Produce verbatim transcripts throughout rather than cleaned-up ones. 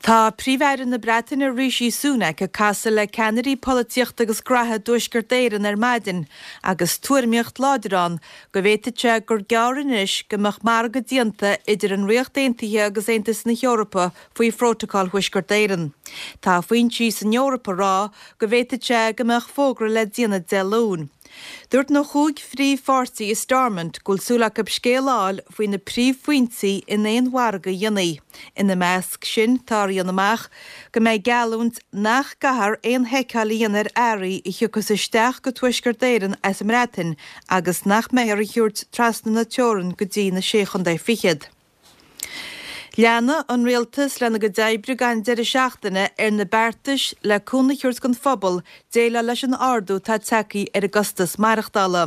Tá Príomh-Aire na Breataine Rishi Sunak ag casadh le ceannairí polaitíochta agus graithe dTuaisceart Éireann ar maidin agus tuairimíocht láidir ann go bhféadfadh sé gur gearr anois go mbeadh margadh déanta idir an Ríocht Aontaithe agus Aontas na hEorpa faoi Phrótacal Thuaisceart Éireann. Tá foinsí san Eoraip ag rá go bhféadfadh sé go mbeadh fógra le déanamh Dé Luain. Dúirt na cúig phríomhpháirtí i Stormont go bhfuil súil acu scéal a fháil faoi na príomhphointí in aon mhargadh a dhéanfaí. Ina measc sin tá a dhéanamh amach go mbeidh geallúint nach gcaithfear aon sheiceáil a dhéanamh ar earraí a thiocfas isteach go Tuaisceart Éireann as an mBreatain agus nach mbeifear á dtabhairt trasna na teorann go dtí na Sé Chontae Fichead. Leanfaidh an rialtas lena gcuid oibre gan deireadh seachtaine ar na beartais le cúnamh a thabhairt don phobal déileáil leis an ardú atá tagtha ar an gcostas maireachtála.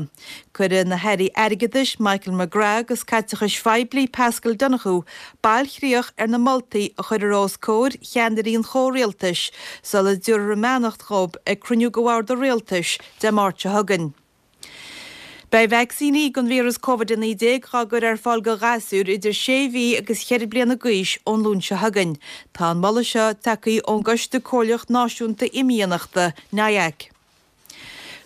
Cuirfidh na hairí airgeadais Michael McGrath agus caiteachais phoiblí Paschal Donohoe bailchríoch ar na moltaí a chuirfear os comhair cheannairí an chomhrialtais sula dtabharfar a mbeannacht dhóibh ag cruinniú de bhord an rialtais Dé Máirt seo chugainn. Beidh vacsaíní don víreas Covid a naoi déag á gcur ar fáil do ghasúir idir sé mhí agus cheithre bliana d'aois ón Luan seo chugainn. Tá an moladh seo tagtha ón gCoiste Comhairleach Náisiúnta Imdhíonachta, NIAC.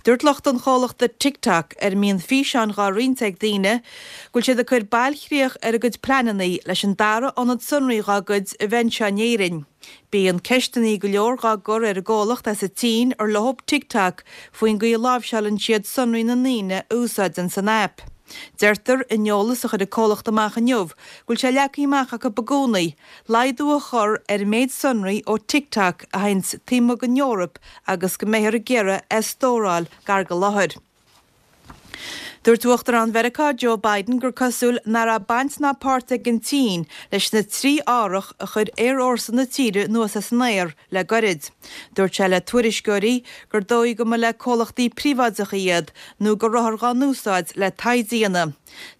Dúirt lucht an chomhlachta TikTok, ar a mbíonn físeáin dhá roinnt ag daoine, go bhfuil siad ag cur bailchríoch ar a gcuid pleananna leis an dara ionad sonraí dhá gcuid a bheith anseo in Éirinn. Bíonn ceisteanna go leor dhá gcur ar an gcomhlacht as an tSín ar leob TikTok faoin gcaoi a láimhseálann siad sonraí na ndaoine a úsáideann san aip. Deirtear in eolas a chuir an comhlacht amach inniu go bhfuil sé leagtha amach acu i gcónaí laghdú a chur ar an méid sonraí ó TikTok a théann taobh amuigh den Eoraip agus go mbeifear ag iarraidh é a stóráil gar do láthair. Dúirt Uachtarán Mheiriceá Joe Biden gur cosúil nach raibh baint ná páirt ag an tSín leis na trí árthach a chuir aerfhórsa na tíre anuas as an aer le gairid. Dúirt sé le tuairisceoirí gur dóigh go mba le comhlachtaí príobháideacha iad nó go rabhthar dhá n-úsáid le taighde a dhéanamh.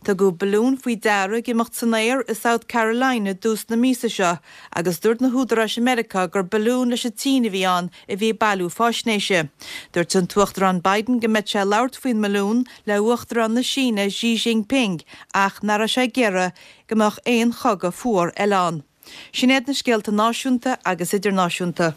Tugadh balún faoi deara ag imeacht san aer i South Carolina i dtús na míosa seo agus dúirt na húdaráis i Meiriceá gur balún leis an tSín a bhí ann a bhí ag bailiú faisnéise. Dúirt an tUachtarán Biden go mbeadh sé ag labhairt faoin mbalún le Uachtarán na Síne Xi Jinping ach nach raibh sé ag iarraidh go mbeadh aon chogadh fuar eile ann. Sin iad na scéalta náisiúnta agus idirnáisiúnta.